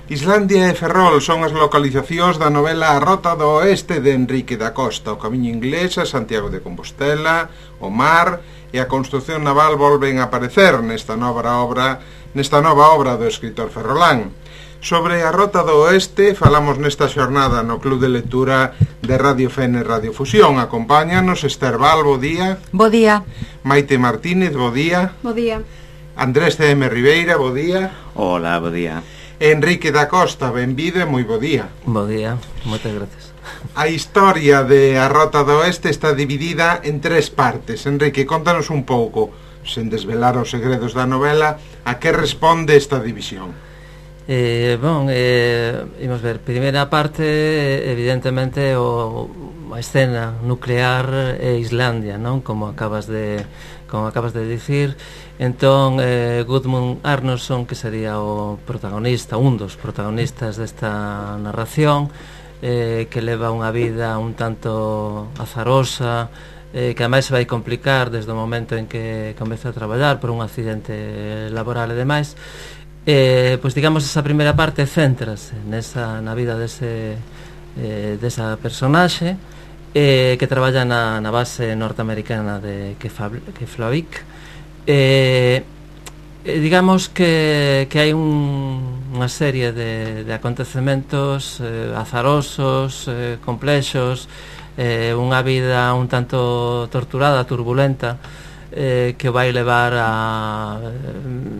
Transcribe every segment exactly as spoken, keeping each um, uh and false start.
Islandia e Ferrol son as localizacións da novela A Rota do Oeste de Enrique da Costa. O camiño inglés a Santiago de Compostela, o mar e a construción naval volven a aparecer nesta nova obra, nesta nova obra do escritor ferrolán. Sobre A Rota do Oeste falamos nesta xornada no Club de Lectura de Radio Fene Radio Fusión. Acompáñanos Esther Val, bo día. Bo día. Maite Martínez, bo día. Bo día. Andrés C M Ribeira, bo día. Hola, bo día. Enrique da Costa, benvido e moi bo día. Bo día, moitas gracias. A historia de A Rota do Oeste está dividida en tres partes. Enrique, contanos un pouco, sen desvelar os segredos da novela, a que responde esta división. Eh, bon, eh, imos ver, primeira parte, evidentemente, o, a escena nuclear é Islandia, non? Como acabas de, como acabas de dicir. Entón, eh, Gudmund Arnorsson, que sería o protagonista, un dos protagonistas desta narración, eh, que leva unha vida un tanto azarosa, eh, que ademais se vai complicar desde o momento en que comeza a traballar por un accidente laboral e demais. Eh, pois digamos, esa primeira parte céntrase nesa, na vida dese, eh, desa personaxe, eh, que traballa na, na base norteamericana de Keflavik. Eh, eh, digamos que, que hai un, unha serie de, de acontecementos eh, azarosos, eh, complexos, eh, unha vida un tanto torturada, turbulenta, eh, que vai levar a,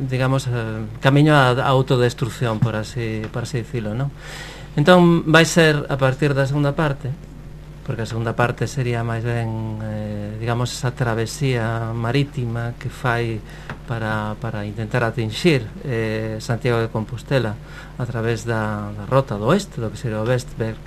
digamos, a, camiño a, a autodestrucción, por así, por así dicilo, non? Entón vai ser a partir da segunda parte, porque a segunda parte sería máis ben, eh, digamos, esa travesía marítima que fai para, para intentar atinxir eh, Santiago de Compostela a través da, da Rota do Oeste, do que sería o Vestberg,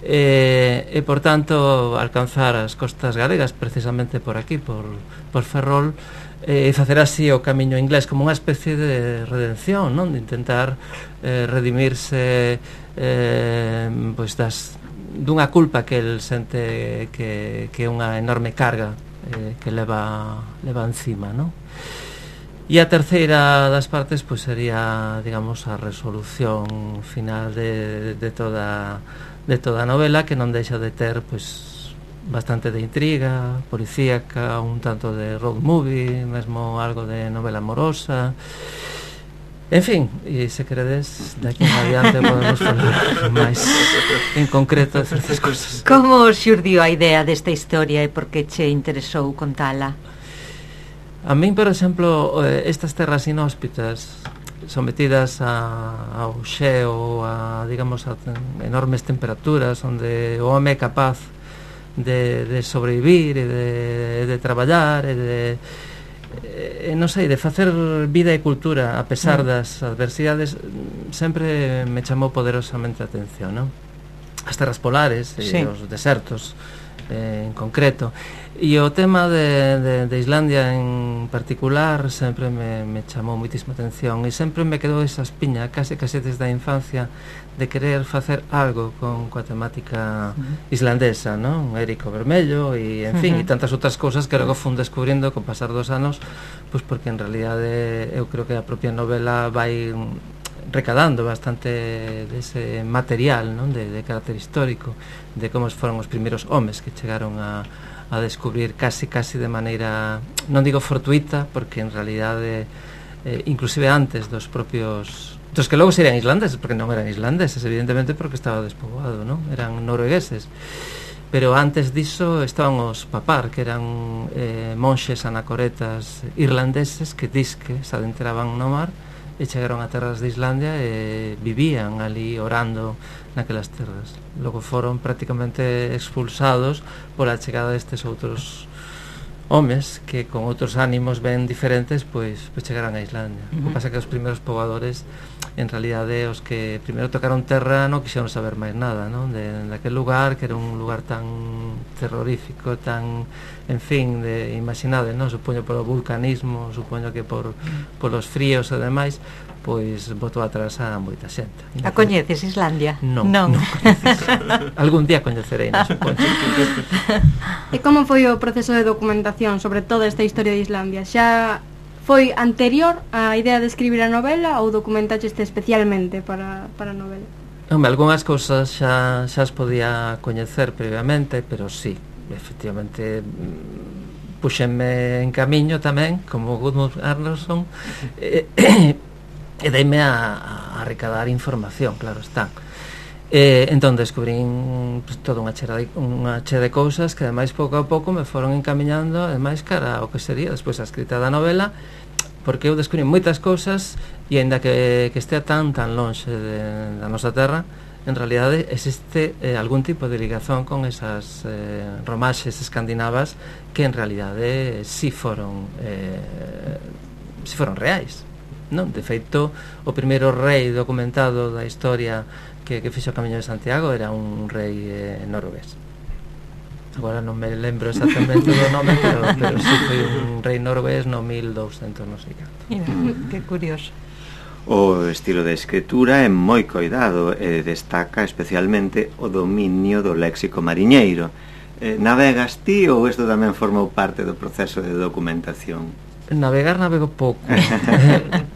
eh, e, por tanto, alcanzar as costas galegas, precisamente por aquí, por, por Ferrol, e eh, facer así o camiño inglés como unha especie de redención, non? De intentar eh, redimirse eh, pois das dunha culpa que el sente que, que é unha enorme carga eh, que leva, leva encima, non? E a terceira das partes pois sería, digamos, a resolución final de, de toda de toda a novela, que non deixa de ter pois bastante de intriga policíaca, un tanto de road movie, mesmo algo de novela amorosa. En fin, e se queredes, de aquí en adiante podemos falar máis en concreto de certas cosas. Como xurdiu a idea desta historia e por que che interesou contala? A min, por exemplo, estas terras inhóspitas sometidas a, ao xeo, a, digamos, a enormes temperaturas, onde o home é capaz de, de sobrevivir e de, de traballar e de... Eh, non sei, de facer vida e cultura a pesar das adversidades, sempre me chamou poderosamente a atención, non? As terras polares e sí. Os desertos eh, en concreto, e o tema de, de, de Islandia en particular sempre me, me chamou moitísima atención, e sempre me quedou esa espiña case case desde a infancia de querer facer algo con coa temática uh-huh. islandesa, non? Érico Vermello e, en fin, uh-huh. e tantas outras cousas que logo fun descubrindo con pasar dos anos, pois porque en realidade eu creo que a propia novela vai recadando bastante dese material, non? De, de carácter histórico, de como foron os primeiros homes que chegaron a, a descubrir casi casi de maneira, non digo fortuita, porque en realidade eh, inclusive antes dos propios dos que logo serían islandeses, porque non eran islandeses, evidentemente, porque estaba despoboado, non? Eran noruegueses. Pero antes diso estaban os papar, que eran eh, monxes anacoretas irlandeses que disque se adentraban no mar e chegaron a terras de Islandia e vivían ali orando naquelas terras. Logo foron prácticamente expulsados pola chegada destes outros homes que con outros ánimos ben diferentes pois, pois chegaran a Islandia. Uh-huh. O que pasa que os primeiros pobladores en realidade os que primeiro tocaron terra non quixeron saber máis nada, non? De, de aquel lugar que era un lugar tan terrorífico, tan, en fin, de imaginade, non? Supoño polo vulcanismo, supoño que por polos fríos e demais, pois botou atrás a moita xente. A coñeces Islandia? Non, non. non algún día coñecerei, non supoño. E como foi o proceso de documentación sobre toda esta historia de Islandia? Xa foi anterior á idea de escribir a novela ou documentaxeste especialmente para, para a novela? Home, algunhas cousas xa, xa as podía coñecer previamente, pero sí, efectivamente puxenme en camiño tamén, como Gudmund Arnoldson, e, e deime a, a recadar información, claro está. E, entón descubrín pues, toda unha chea de, unha chea de cousas que ademais pouco a pouco me foron encamiñando ademais cara ao que sería despois a escrita da novela, porque eu descubrí moitas cousas e aínda que, que estea tan tan lonxe de, da nosa terra, en realidade existe eh, algún tipo de ligazón con esas eh, romaxes escandinavas que en realidade si foron eh, si foron reais, non? De feito, o primeiro rei documentado da historia que, que fixo o Camiño de Santiago era un rei eh, noruegués. Agora non me lembro exactamente do nome, pero, pero sí foi un rei noruegués no mil douscentos, non sei canto. Mira, que curioso. O estilo de escritura é moi coidado e destaca especialmente o dominio do léxico mariñeiro. Eh, navegas ti ou isto tamén formou parte do proceso de documentación? Navegar navego pouco.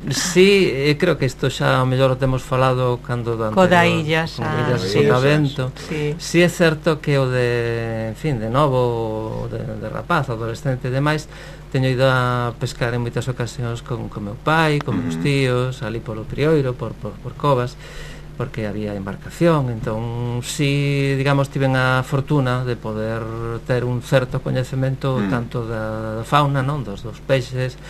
Sí, eh, creo que isto xa ao mellor o temos falado cando do anterior, Coda illas, con ah, illas sí, Sotavento. sí. Sí é certo que o de, en fin, de novo, de, de rapaz, adolescente e demais, teño ido a pescar en moitas ocasións con, con meu pai, con meus tíos, ali polo Prioiro, por, por, por covas, porque había embarcación. Entón, si, digamos, tiven a fortuna de poder ter un certo coñecemento mm. tanto da, da fauna, non, dos, dos peixes,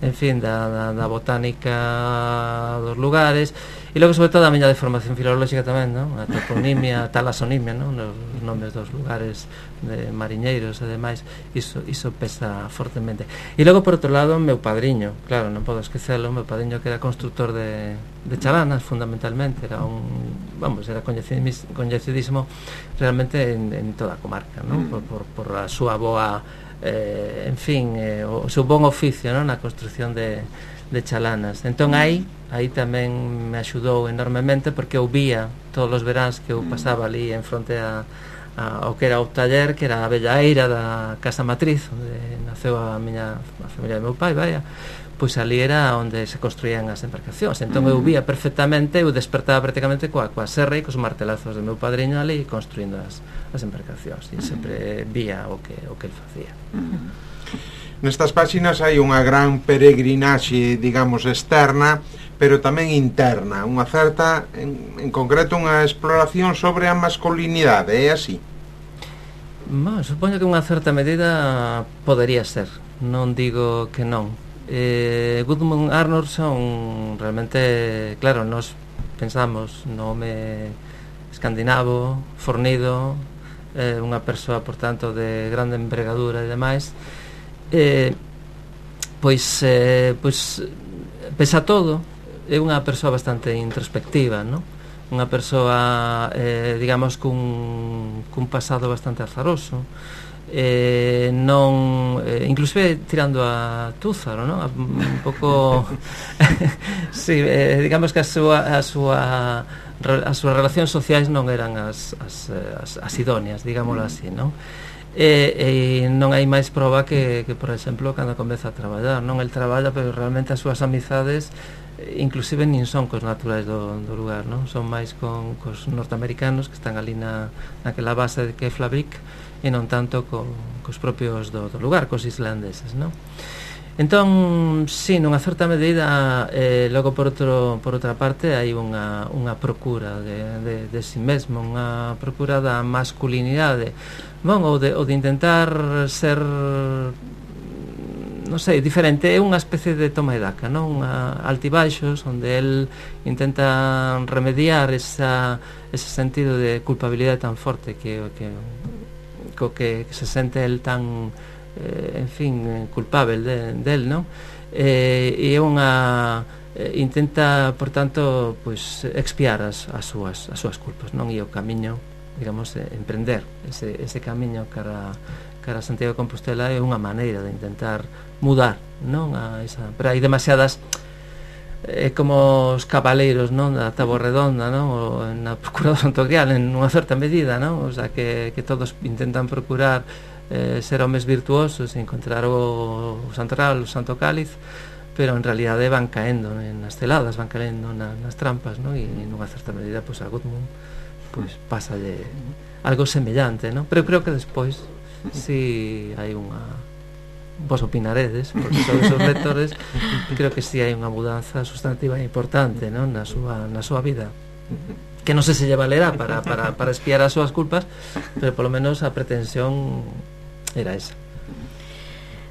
en fin, da, da, da botánica dos lugares, e logo, sobre todo, a miña de formación filolóxica tamén, non? A toponimia, a talasonimia, non? Os nomes dos lugares de mariñeiros e demais, iso, iso pesa fortemente. E logo, por outro lado, meu padriño, claro, non podo esquecelo, meu padriño que era constructor de, de chalanas, fundamentalmente, era un, vamos, era coñecidísimo realmente en, en toda a comarca, non? Por, por, por a súa boa, eh, en fin, eh, o seu bon oficio, non? Na construcción de, de chalanas. Entón, aí, aí tamén me axudou enormemente, porque eu vía todos os veráns que eu pasaba ali en fronte a, a, ao que era o taller, que era a bella eira da casa matriz, onde naceu a miña a familia do meu pai, vaya, pois ali era onde se construían as embarcacións. Entón eu vía perfectamente, eu despertaba prácticamente coa, coa serra e cos martelazos do meu padriño ali construindo as, as embarcacións, e sempre vía o que, o que el facía. Nestas páxinas hai unha gran peregrinaxe, digamos, externa, pero tamén interna, unha certa, en, en concreto, unha exploración sobre a masculinidade, é así? Bueno, supoño que unha certa medida podería ser, non digo que non. Eh, Gudmund Arnoldson realmente, claro, nos pensamos no home escandinavo, fornido, eh, unha persoa, por tanto, de grande envergadura e demais. Eh, pois, eh, pois, pese a todo, é unha persoa bastante introspectiva, non? Unha persoa, eh, digamos, cun, cun pasado bastante azaroso, eh, non, eh, inclusive tirando a Túzaro, non? Un pouco sí, eh, digamos que a súa, a súa as súas relacións sociais non eran as, as, as, as idóneas, digámoslo así, non? E, e non hai máis proba que, que, por exemplo, cando comeza a traballar, non? El traballa, pero realmente as súas amizades inclusive nin son cos naturais do, do lugar, non? Son máis con cos norteamericanos que están ali na, naquela base de Keflavik, e non tanto co, cos propios do, do lugar, cos islandeses, non? Entón, sí, nunha certa medida, eh, logo por, outro, por outra parte hai unha, unha procura de, de, de si mesmo, unha procura da masculinidade, bon, ou de, ou de intentar ser, non sei, diferente. É unha especie de toma e daca, non? Unha altibaixos, onde el intenta remediar esa, ese sentido de culpabilidade tan forte que, que, co que se sente el tan, eh, en fin, culpável de, del, non? Eh, e é unha eh, intenta, por tanto, pois expiar as, as súas as súas culpas, non? E o camiño, digamos, eh, emprender ese, ese camiño cara, cara a Santiago de Compostela é unha maneira de intentar mudar, non? A esa, pero hai demasiadas, é eh, como os cabaleiros, non? Da Táboa Redonda, non? O na Procura do Santo Grial, en unha certa medida, non? O sea, que, que todos intentan procurar eh, ser homes virtuosos e encontrar o, o Santo Real, o Santo Cáliz, pero en realidade van caendo nas celadas, van caendo na, nas trampas, non? E nunha certa medida, pois, a Gudmund pois, pasa de algo semellante, non? Pero creo que despois si hai unha... vos opinaredes, porque sodes os lectores, creo que si hai unha mudanza sustantiva importante, non? Na súa, na súa vida, que non sei se lle valerá para, para, para espiar as súas culpas, pero polo menos a pretensión era esa.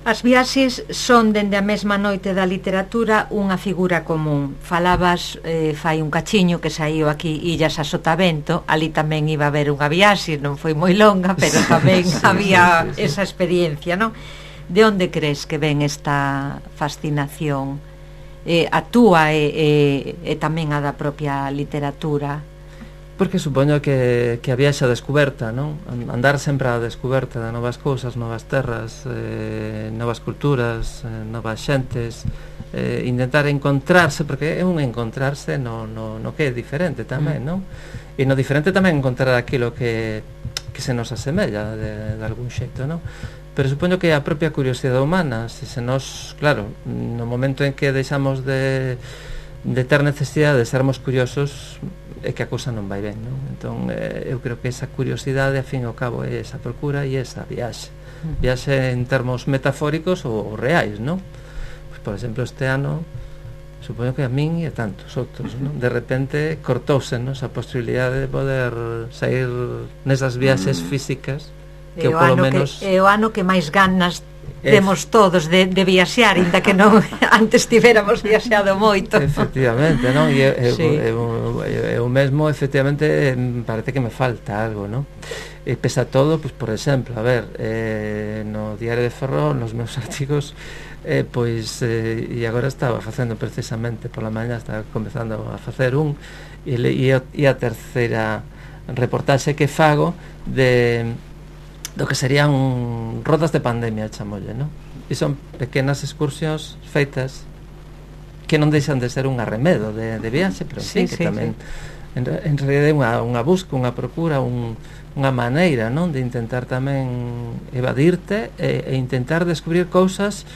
As viaxes son, dende a mesma noite da literatura, unha figura común. Falabas, eh, fai un cachiño que saiu aquí Illas a Sotavento, ali tamén iba a haber unha viaxe, non foi moi longa, pero tamén sí, había sí, sí, sí. esa experiencia, non? De onde crees que ven esta fascinación eh, a túa e, e, e tamén a da propia literatura? Porque supoño que, que a viaxe a descoberta, non? Andar sempre a descoberta de novas cousas, novas terras, eh, novas culturas, eh, novas xentes, eh, intentar encontrarse, porque é un encontrarse no, no, no que é diferente tamén, non? E no diferente tamén encontrar aquilo que, que se nos asemella de, de algún xeito, non? Pero supoño que a propia curiosidade humana, se se nos, claro, no momento en que deixamos de, de ter necesidade de sermos curiosos, é que a cousa non vai ben, non? Entón, eh, eu creo que esa curiosidade, a fin e ao cabo, é esa procura e esa viaxe. Viaxe en termos metafóricos ou, ou reais, non? Pois, por exemplo, este ano, supoño que a min e a tantos outros, non? De repente, cortouse, non? Esa posibilidade de poder sair nesas viaxes físicas, que o polo ano menos... que, é o ano que máis ganas temos todos de, de viaxar, ainda que non antes tiveramos viaxado moito. Efectivamente, non? E eu, sí. eu, eu, eu mesmo, efectivamente, parece que me falta algo, non? E pesa todo, pois, por exemplo, a ver, eh, no Diario de Ferrol, nos meus artigos, eh, pois, eh, e agora estaba facendo precisamente pola mañá, estaba comezando a facer un, e, e, e a terceira reportaxe que fago de... do que serían rodas de pandemia, chamolle, non? E son pequenas excursións feitas que non deixan de ser un arremedo de, de viaxe, pero en sí, fin, que sí, tamén sí. en, en realidad é unha, unha busca, unha procura, un, unha maneira, non? De intentar tamén evadirte e, e intentar descubrir cousas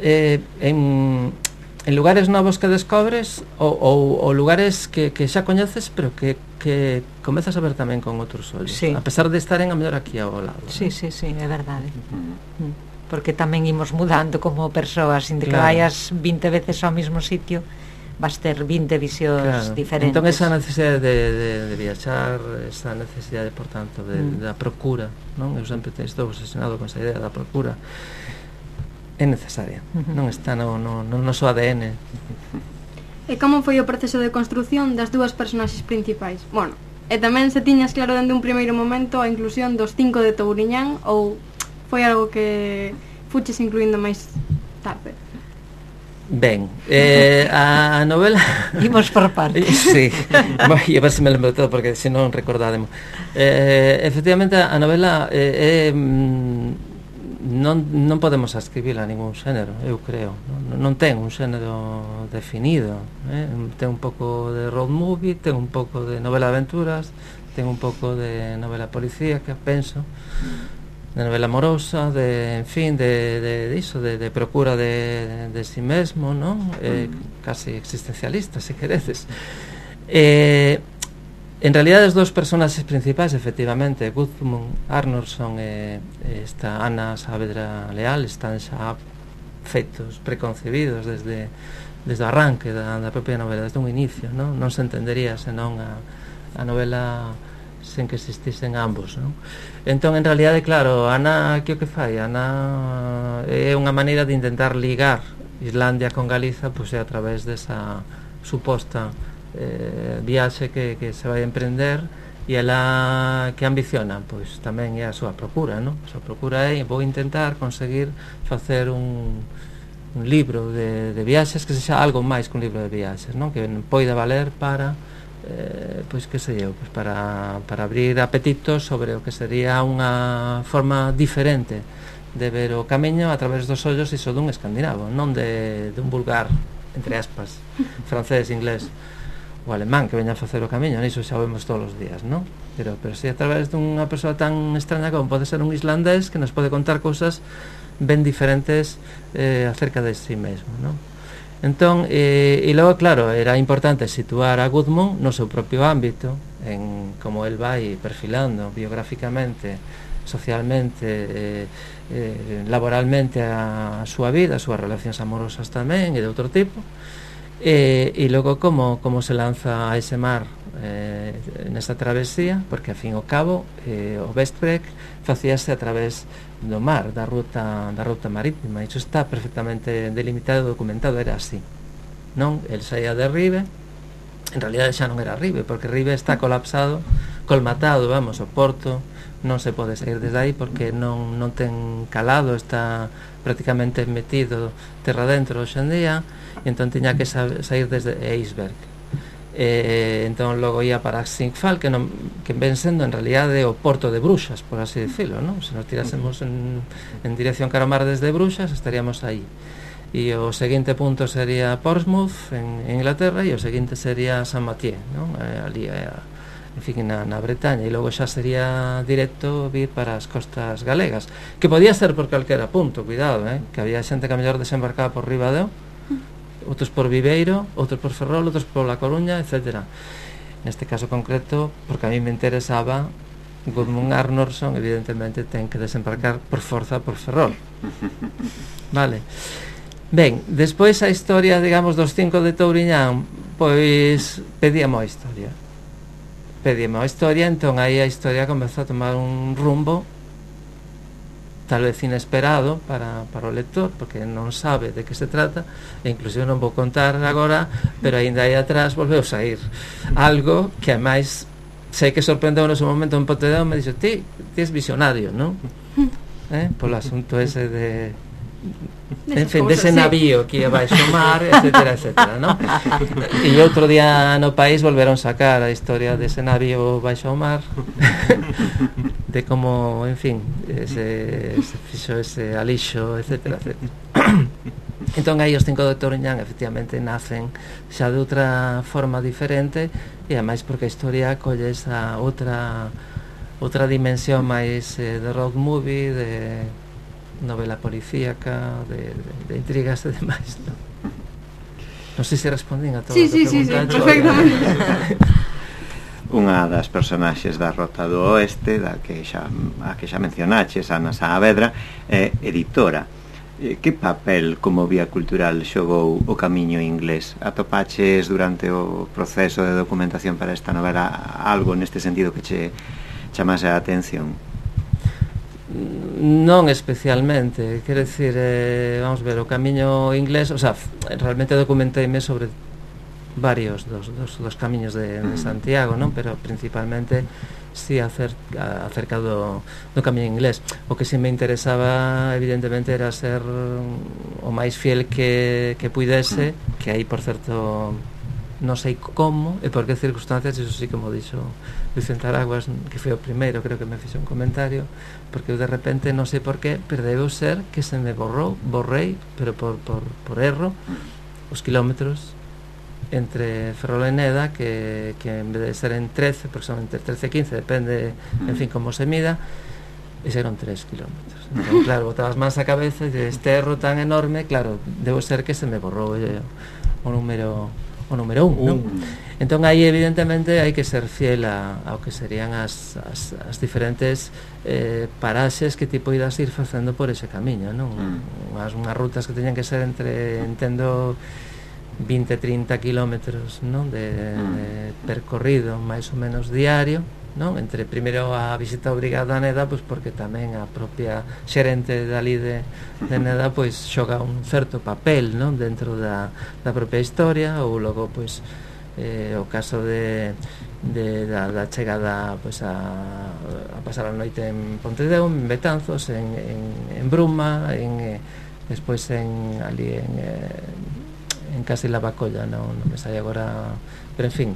eh, en, en lugares novos que descobres ou, ou, ou lugares que, que xa coñeces, pero que que comezas a ver tamén con outros ollos, sí. A pesar de estar en a mellor aquí ao lado. Sí, sí, sí, é verdade. Uh-huh. Porque tamén imos mudando como persoas, sin que claro. vayas vinte veces ao mesmo sitio, vas ter vinte visións claro. diferentes. Entón esa necesidade de, de, de viaxar, esa necesidade, por tanto, de, mm. da procura, non? Eu sempre estou obsesionado con esa idea da procura. É necesaria, uh-huh. non está no, no, no noso A D N. E como foi o proceso de construción das dúas personaxes principais? Bueno, e tamén se tiñas claro dende un primeiro momento a inclusión dos cinco de Touriñán ou foi algo que fuches incluindo máis tarde? Ben, eh, a novela... Imos por partes. Sí, e a ver se me lembro todo, porque se non recordádemos. Eh, efectivamente, a novela é... Eh, eh, non, non podemos ascribila a ningún xénero, eu creo, non, non ten un xénero definido, eh? Ten un pouco de road movie, ten un pouco de novela de aventuras, ten un pouco de novela policíaca, penso, de novela amorosa, de, en fin, de, de, de iso, de, de procura de, de si mesmo, non? Eh, casi existencialista, se quereces. Eh, En realidad, as dous personaxes principais, efectivamente, Gudmund Arnorsson e esta Ana Saavedra Leal, están xa feitos, preconcebidos desde, desde o arranque da, da propia novela, desde un inicio, non? Non se entendería senón a, a novela sen que existisen ambos, non? Entón, en realidade, claro, Ana, que o que fai? Ana é unha maneira de intentar ligar Islandia con Galiza, pois é a través desa suposta Eh, viaxe que, que se vai a emprender e ela que ambiciona, pois tamén é a súa procura, non? A súa procura é, vou intentar conseguir facer un, un libro de, de viaxes que sexa algo máis que un libro de viaxes, non? Que poida valer para eh, pois que sei eu, pois para, para abrir apetitos sobre o que sería unha forma diferente de ver o camiño a través dos ollos iso dun escandinavo, non de, de un vulgar, entre aspas, francés, inglés o alemán que veña a facer o camiño, niso xa o vemos todos os días, non? Pero, pero si a través dunha persoa tan extraña como pode ser un islandés que nos pode contar cousas ben diferentes eh, acerca de si mesmo, non? Entón, eh, e logo, claro, era importante situar a Gudmund no seu propio ámbito, en como el vai perfilando biográficamente, socialmente, eh, eh, laboralmente a, a súa vida, as súas relacións amorosas tamén e de outro tipo, e, e logo como, como se lanza a ese mar eh, nesta travesía, porque a fin ao cabo eh, o Westbreak facíase a través do mar, da ruta da ruta marítima. Iso está perfectamente delimitado e documentado, era así, non? El saía de Ribe, en realidad xa non era Ribe, porque Ribe está colapsado, colmatado, vamos, o porto non se pode sair desde aí porque non, non ten calado, está prácticamente metido terra dentro hoxe en día, e entón tiña que sair desde Eisberg. Eh, entón logo ia para Singfal, que, non, que ven sendo en realidade o porto de Bruxas, por así decirlo, non? Se nos tirásemos en, en dirección cara ao mar desde Bruxas, estaríamos aí. E o seguinte punto sería Portsmouth, en, en Inglaterra, e o seguinte sería Saint-Mathieu, non? Eh, ali, eh, en fin, na, na Bretaña, e logo xa sería directo vir para as costas galegas, que podía ser por calquera punto, cuidado, eh? Que había xente que a mellor desembarcaba por Ribadeo, outros por Viveiro, outros por Ferrol, outros por La Coruña, etcétera. Neste caso concreto, porque a mí me interesaba, Gudmund Arnorsson evidentemente ten que desembarcar por forza por Ferrol. Vale. Ben, despois a historia, digamos, dos cinco de Touriñán, pois pedíamos a historia. Pedíamos a historia, entón aí a historia comezou a tomar un rumbo tal vez inesperado para, para o lector, porque non sabe de que se trata, e inclusive non vou contar agora, pero aínda aí atrás volveu sair algo que ademais sei que sorprendeu no seu momento en Pontedeu, me dixo, ti, ti es visionario, non? Eh? Polo asunto ese de en fin, dese navío que ia baixo o mar, etcétera, etcétera, non? E outro día no país volveron sacar a historia dese navío baixo o mar, de como, en fin, se, se fixo ese alixo, etcétera, etcétera. Entón aí os cinco de Touriñán efectivamente nacen xa de outra forma diferente, e ademais porque a historia colle esa outra outra dimensión máis eh, de road movie, de novela policíaca, de, de, de intrigas e demais, non? Non sei se respondín a todo sí, o que sí, sí, sí, perfectamente. Unha das personaxes da Rota do Oeste, da que xa, a que xa mencionaches, Ana Saavedra, é editora. Que papel como vía cultural xogou o camiño inglés? Atopaches durante o proceso de documentación para esta novela algo neste sentido que che chamase a atención? Non especialmente, quero dicir, eh, vamos ver, o camiño inglés, o sea, realmente documenteime sobre varios dos, dos, dos camiños de, de Santiago, non? Pero principalmente si acerca, acerca do, do camiño inglés. O que si me interesaba evidentemente era ser o máis fiel que, que puidese, que aí por certo non sei como e por que circunstancias, iso sí que mo dixo Vicente Araguas, que foi o primeiro, creo que me fixo un comentario, porque eu de repente non sei por qué, pero debeu ser que se me borrou, borrei, pero por, por, por erro, os kilómetros entre Ferrol e Neda, que, que en vez de ser en trece, porque son entre trece e quince, depende, en fin, como se mida, e eran tres kilómetros. Entón, claro, botabas máis a cabeza e este erro tan enorme, claro, debo ser que se me borrou eh, o número o número un, uh. non? Entón aí evidentemente hai que ser fiel a, ao que serían as, as, as diferentes eh, paraxes que ti poidas ir facendo por ese camiño, non? Mm. Unhas, unhas rutas que teñan que ser entre, entendo, vinte a trinta kilómetros, non? De, mm. de percorrido máis ou menos diario, non? Entre primeiro a visita obrigada a Neda, pois porque tamén a propia xerente dali de, de Neda pois xoga un certo papel, non? Dentro da, da propia historia, ou logo pois eh, o caso de, de da, da chegada pois a, a pasar a noite en Pontedeu, en Betanzos, en, en, en Bruma, en eh, despois en ali en eh, en Casi la Bacolla, non, non me sai agora, pero en fin.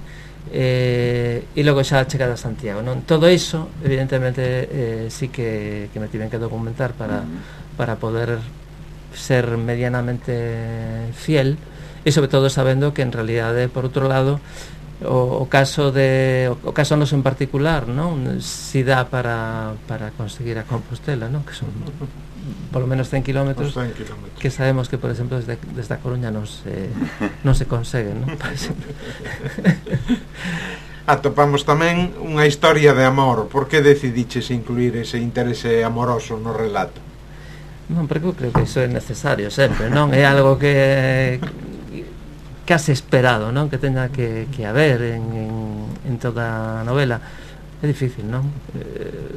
Eh, e logo xa a chegada a Santiago, non? Todo iso evidentemente eh, sí que, que me tiven que documentar para, para poder ser medianamente fiel, e sobre todo sabendo que en realidade, por outro lado, o, o caso de o, o caso noso en particular, non? Si dá para, para conseguir a Compostela, non? Que son por lo menos cen kilómetros, cen kilómetros que sabemos que, por exemplo, desde, desde a Coruña non se, non se consegue, non? Atopamos tamén unha historia de amor. Por que decidiches incluir ese interese amoroso no relato? Non, porque eu creo que iso é necesario sempre, non? É algo que case esperado, non? Que teña que, que haber en, en, en toda a novela. É difícil, non? Eh,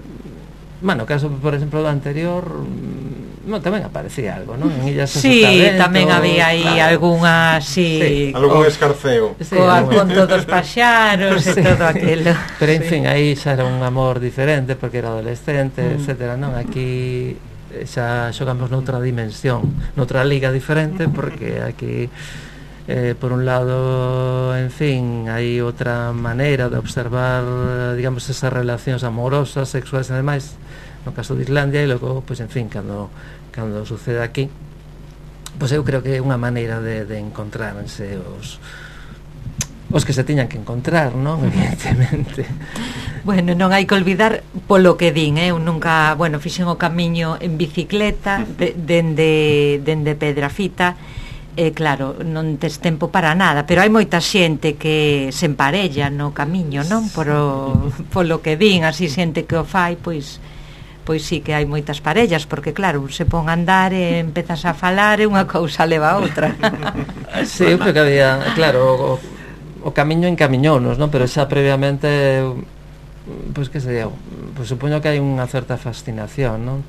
bueno, caso, por exemplo, do anterior, non, tamén aparecía algo, non? En Illas Sí, tamén había aí claro. algunha, sí, sí algún escarceo. Sí, co conto dos paxaros sí. e todo aquilo. Pero, en sí. fin, aí xa era un amor diferente, porque era adolescente, mm. etcétera, non? Aquí xa xogamos noutra dimensión, noutra liga diferente, porque aquí... Eh, por un lado, en fin, hai outra maneira de observar, digamos, esas relacións amorosas, sexuais e demais, no caso de Islandia, e logo, pois, en fin, cando, cando sucede aquí, pois eu creo que é unha maneira de, de encontrarse os os que se tiñan que encontrar, non? Evidentemente. Bueno, non hai que olvidar polo que din, eh? Eu nunca, bueno, fixen o camiño en bicicleta de, dende, dende Pedrafita. E eh, claro, non tes tempo para nada, pero hai moita xente que se emparella no camiño, non? Polo, polo que din, así xente que o fai, pois pois sí que hai moitas parellas, porque claro, se pon a andar e empezas a falar e unha cousa leva a outra. Sí, eu creo que había, claro, o, o camiño encamiñounos, non? Pero xa previamente, pois que sei eu, pois supoño que hai unha certa fascinación, non?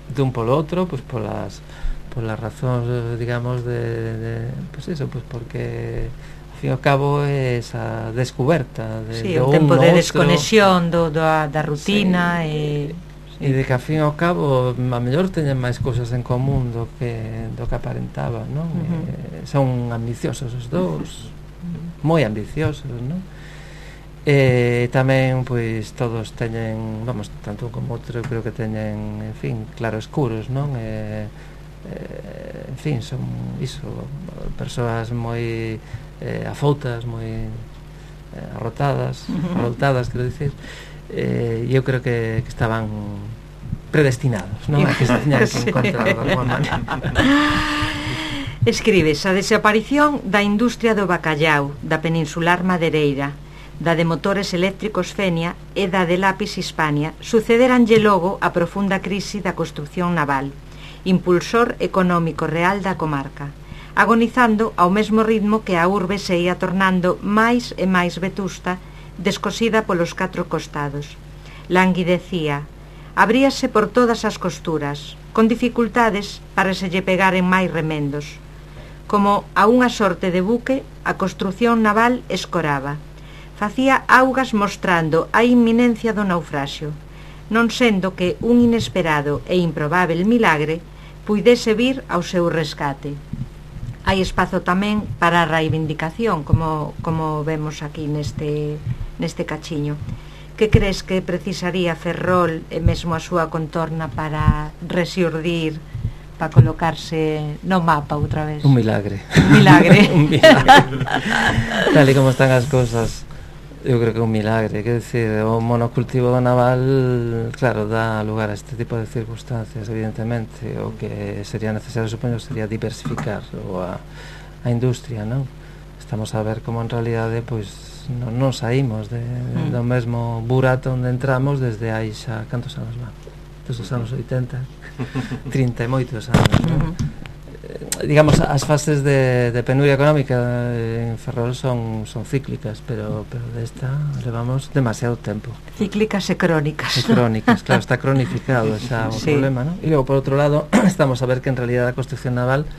Dun polo outro, pois polas por las razóns, digamos, de, de pues eso, pues porque ao fin e ao cabo é esa descoberta de, sí, de un tempo de outro, desconexión do, da, da rutina sí, e, sí. E de que ao fin e ao cabo a mellor teñen máis cousas en común do que do que aparentaba, non? Uh-huh. Eh, son ambiciosos os dous, uh-huh. moi ambiciosos, non? E tamén, pois, todos teñen, vamos, tanto un como outro, creo que teñen, en fin, claroscuros, non? E Eh, en fin, son iso, persoas moi eh, afoutas, moi eh, arrotadas, arrotadas, quero dicir, eh, e eu creo que, que estaban predestinados, non? A que se tiñan que encontrar de alguma maneira. Escribes a desaparición da industria do bacallau da peninsular madeireira, da de motores eléctricos Fenia e da de lápis Hispania, sucederanlle logo a profunda crise da construción naval, impulsor económico real da comarca, agonizando ao mesmo ritmo que a urbe se ia tornando máis e máis vetusta, descosida polos catro costados. Languidecía, abríase por todas as costuras, con dificultades para se lle pegaren máis remendos. Como a unha sorte de buque, a construción naval escoraba. Facía augas mostrando a inminencia do naufraxio, non sendo que un inesperado e improbável milagre puidese vir ao seu rescate. Hai espazo tamén para a reivindicación, como, como vemos aquí neste, neste cachiño. Que crees que precisaría Ferrol e mesmo a súa contorna para rexurdir, para colocarse no mapa outra vez? Un milagre. Un milagre. Un milagre. Tal e como están as cousas, eu creo que é un milagre, quer decir, o monocultivo naval, claro, dá lugar a este tipo de circunstancias, evidentemente. O que sería necesario, supoño, sería diversificar o a, a industria, non? Estamos a ver como en realidade, pois, non, non saímos de, de, do mesmo burato onde entramos desde aí xa, cantos anos van? Desde os anos oitenta, trinta e moitos anos, non? Digamos, as fases de, de penuria económica en Ferrol son, son cíclicas, pero, pero desta levamos demasiado tempo. Cíclicas e crónicas. E crónicas, claro, está cronificado xa o sí. problema, non? E logo, por outro lado, estamos a ver que en realidad a construcción naval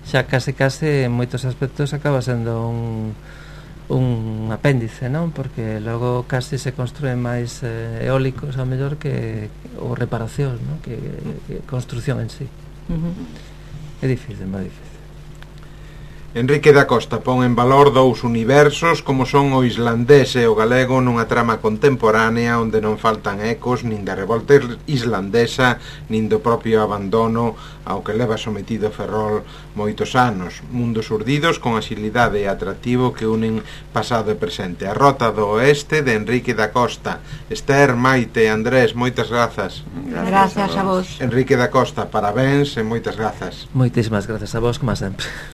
xa case case en moitos aspectos acaba sendo un, un apéndice, non? Porque logo case se construen máis eh, eólicos ao mellor que ou reparacións, non? Que, que construcción en sí. Uh-huh. É difícil, moi difícil. Enrique da Costa pon en valor dous universos como son o islandés e o galego nunha trama contemporánea onde non faltan ecos nin da revolta islandesa nin do propio abandono ao que leva sometido Ferrol moitos anos. Mundos urdidos con axilidade e atractivo que unen pasado e presente. A Rota do Oeste de Enrique da Costa. Esther, Maite, Andrés, moitas grazas. Gracias a vos. Enrique da Costa, parabéns e moitas grazas. Moitísimas grazas a vos, como sempre.